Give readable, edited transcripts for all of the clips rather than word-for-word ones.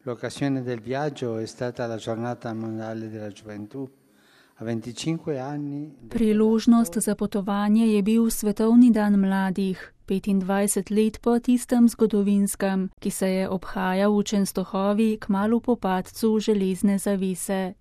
L'occasione del viaggio è stata la giornata mondiale della gioventù. A 25 anni. Priložnost za potovanje je bil Svetovni dan mladih, 25 let po tistem zgodovinskem, ki se je obhajal v Čenstohovi kmalu po padcu železne zavese.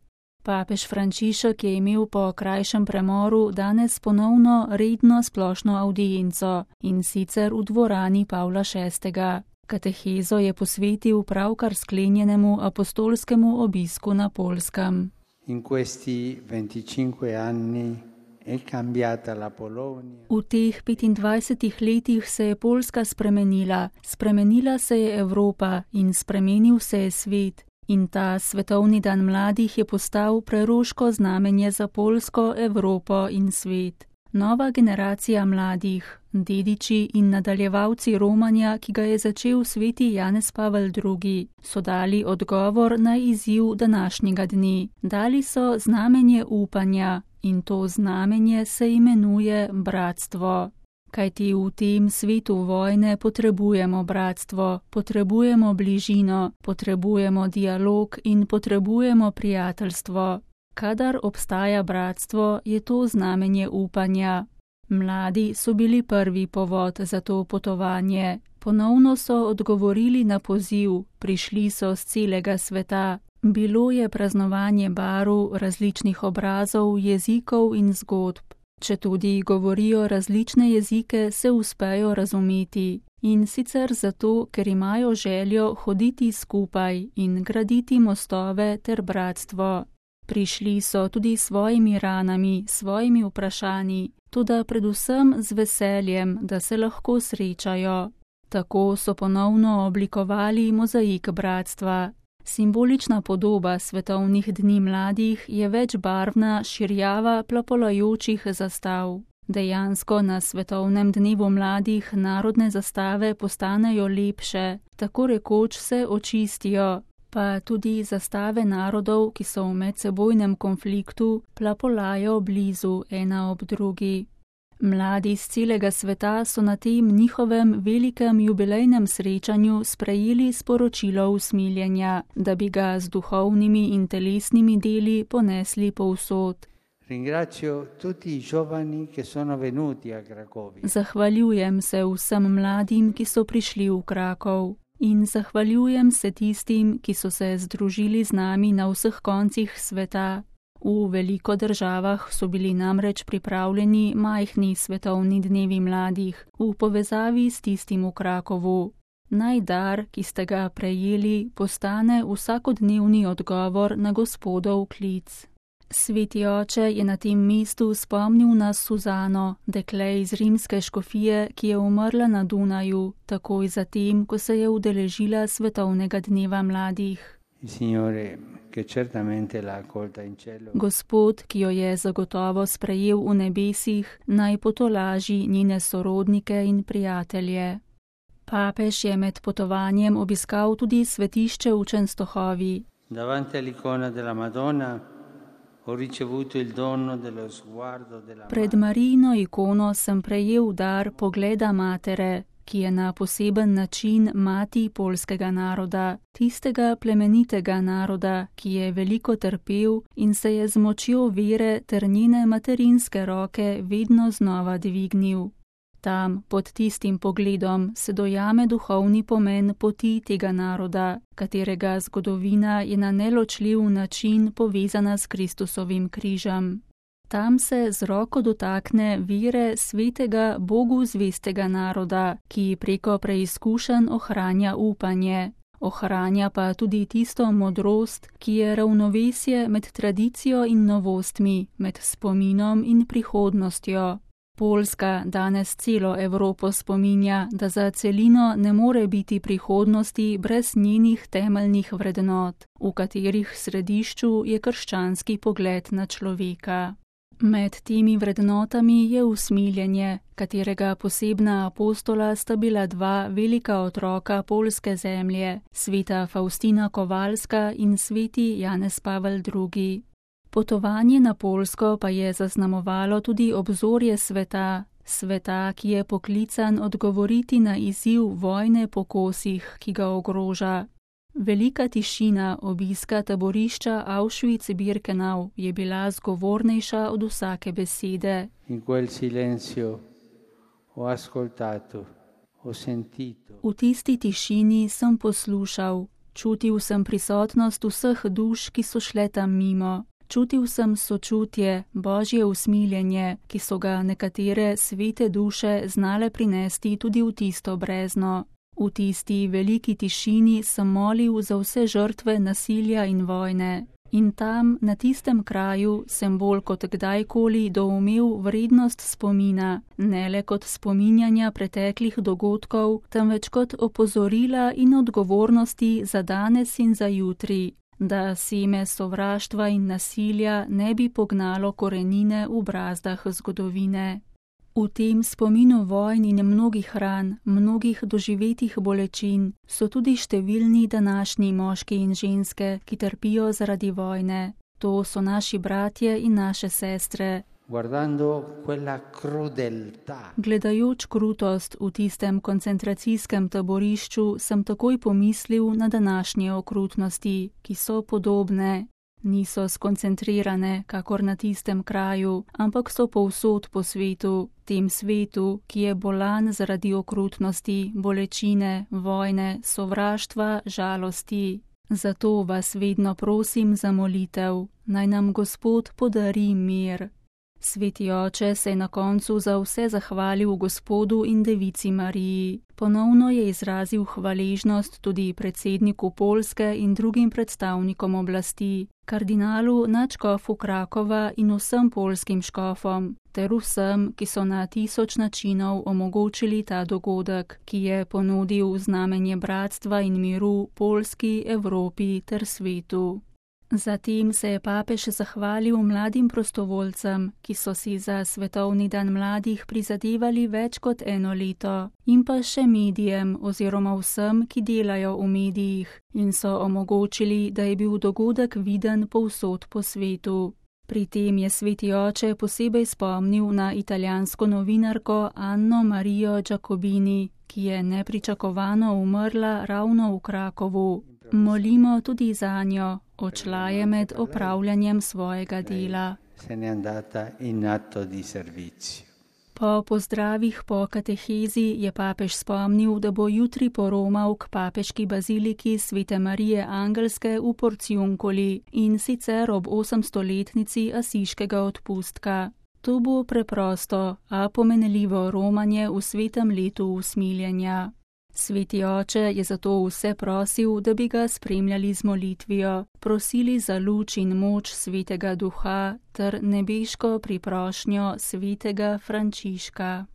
Papež Frančišek je imel po krajšem premoru danes ponovno redno splošno avdienco, in sicer v dvorani Pavla VI. Katehezo je posvetil pravkar sklenjenemu apostolskemu obisku na Poljskem. In questi 25 anni è cambiata la Polonia. V teh 25 letih se je Poljska spremenila, spremenila se je Evropa in spremenil se je svet. In ta Svetovni dan mladih je postal preroško znamenje za Poljsko, Evropo in svet. Nova generacija mladih, dediči in nadaljevalci romanja, ki ga je začel sveti Janez Pavel II., so dali odgovor na izziv današnjega dne. Dali so znamenje upanja in to znamenje se imenuje bratstvo. Kajti v tem svetu vojne potrebujemo bratstvo, potrebujemo bližino, potrebujemo dialog in potrebujemo prijateljstvo. Kadar obstaja bratstvo, je to znamenje upanja. Mladi so bili prvi povod za to potovanje. Ponovno so odgovorili na poziv, prišli so z celega sveta. Bilo je praznovanje barv, različnih obrazov, jezikov in zgodb. Četudi govorijo različne jezike, se uspejo razumeti. In sicer zato, ker imajo željo hoditi skupaj in graditi mostove ter bratstvo. Prišli so tudi s svojimi ranami, svojimi vprašanji, toda predvsem z veseljem, da se lahko srečajo. Tako so ponovno oblikovali mozaik bratstva. Simbolična podoba svetovnih dni mladih je večbarvna širjava plapolajočih zastav. Dejansko na svetovnem dnevu mladih narodne zastave postanejo lepše, tako rekoč se očistijo, pa tudi zastave narodov, ki so v medsebojnem konfliktu, plapolajo blizu ena ob drugi. Mladi z celega sveta so na tem njihovem velikem jubilejnem srečanju sprejeli sporočilo usmiljenja, da bi ga z duhovnimi in telesnimi deli ponesli povsod. Zahvaljujem se vsem mladim, ki so prišli v Krakov. In zahvaljujem se tistim, ki so se združili z nami na vseh koncih sveta. V veliko državah so bili namreč pripravljeni majhni svetovni dnevi mladih v povezavi s tistim v Krakovu. Naj dar, ki ste ga prejeli, postane vsakodnevni odgovor na Gospodov klic. Sveti oče je na tem mestu spomnil na Suzano, dekle iz rimske škofije, ki je umrla na Dunaju, takoj zatem, ko se je udeležila svetovnega dneva mladih. Gospod, ki jo je zagotovo sprejel v nebesih, naj potolaži njene sorodnike in prijatelje. Papež je med potovanjem obiskal tudi svetišče v Čenstohovi. Pred Marijino ikono sem prejel dar pogleda matere, ki je na poseben način mati poljskega naroda, tistega plemenitega naroda, ki je veliko trpel in se je z močjo vere ter njene materinske roke vedno znova dvignil. Tam, pod tistim pogledom, se dojame duhovni pomen poti tega naroda, katerega zgodovina je na neločljiv način povezana s Kristusovim križem. Tam se z roko dotakne vere svetega Bogu zvestega naroda, ki preko preizkušenj ohranja upanje. Ohranja pa tudi tisto modrost, ki je ravnovesje med tradicijo in novostmi, med spominom in prihodnostjo. Poljska danes celo Evropo spominja, da za celino ne more biti prihodnosti brez njenih temeljnih vrednot, v katerih središču je krščanski pogled na človeka. Med temi vrednotami je usmiljenje, katerega posebna apostola sta bila dva velika otroka poljske zemlje, sveta Faustina Kovalska in sveti Janez Pavel II. Potovanje na Poljsko pa je zaznamovalo tudi obzorje sveta, ki je poklican odgovoriti na izziv vojne po kosih, ki ga ogroža. Velika tišina obiska taborišča Auschwitz-Birkenau je bila zgovornejša od vsake besede. In quel silenzio ho ascoltato, ho sentito. V tisti tišini sem poslušal, čutil sem prisotnost vseh duš, ki so šle tam mimo. Čutil sem sočutje, božje usmiljenje, ki so ga nekatere svete duše znale prinesti tudi v tisto brezno. V tisti veliki tišini sem molil za vse žrtve nasilja in vojne. In tam, na tistem kraju, sem bolj kot kdajkoli doumel vrednost spomina, ne le kot spominjanja preteklih dogodkov, temveč kot opozorila in odgovornosti za danes in za jutri, da seme sovraštva in nasilja ne bi pognalo korenine v brazdah zgodovine. V tem spominu vojn in mnogih ran, mnogih doživetih bolečin so tudi številni današnji moški in ženske, ki trpijo zaradi vojne. To so naši bratje in naše sestre. Gledajoč krutost v tistem koncentracijskem taborišču, sem takoj pomislil na današnje okrutnosti, ki so podobne. Niso skoncentrirane, kakor na tistem kraju, ampak so povsod po svetu, tem svetu, ki je bolan zaradi okrutnosti, bolečine, vojne, sovraštva, žalosti. Zato vas vedno prosim za molitev, naj nam Gospod podari mir. Sveti oče se je na koncu za vse zahvalil Gospodu in Devici Mariji. Ponovno je izrazil hvaležnost tudi predsedniku Poljske in drugim predstavnikom oblasti, kardinalu nadškofu Krakova in vsem poljskim škofom, ter vsem, ki so na 1000 načinov omogočili ta dogodek, ki je ponudil znamenje bratstva in miru Poljski, Evropi ter svetu. Zatem se je papež zahvalil mladim prostovoljcem, ki so si za Svetovni dan mladih prizadevali več kot 1 leto, in pa še medijem oziroma vsem, ki delajo v medijih in so omogočili, da je bil dogodek viden povsod po svetu. Pri tem je sveti oče posebej spomnil na italijansko novinarko Anno Marijo Giacobini, ki je nepričakovano umrla ravno v Krakovu. Molimo tudi zanjo, odšla je med opravljanjem svojega dela. Po pozdravih po katehezi je papež spomnil, da bo jutri poromal k papeški baziliki Svete Marije Angelske v Porciuncoli in sicer ob 800-letnici Asiškega odpustka. To bo preprosto, a pomenljivo romanje v svetem letu usmiljenja. Sveti oče je zato vse prosil, da bi ga spremljali z molitvijo, prosili za luč in moč Svetega Duha ter nebeško priprošnjo Svetega Frančiška.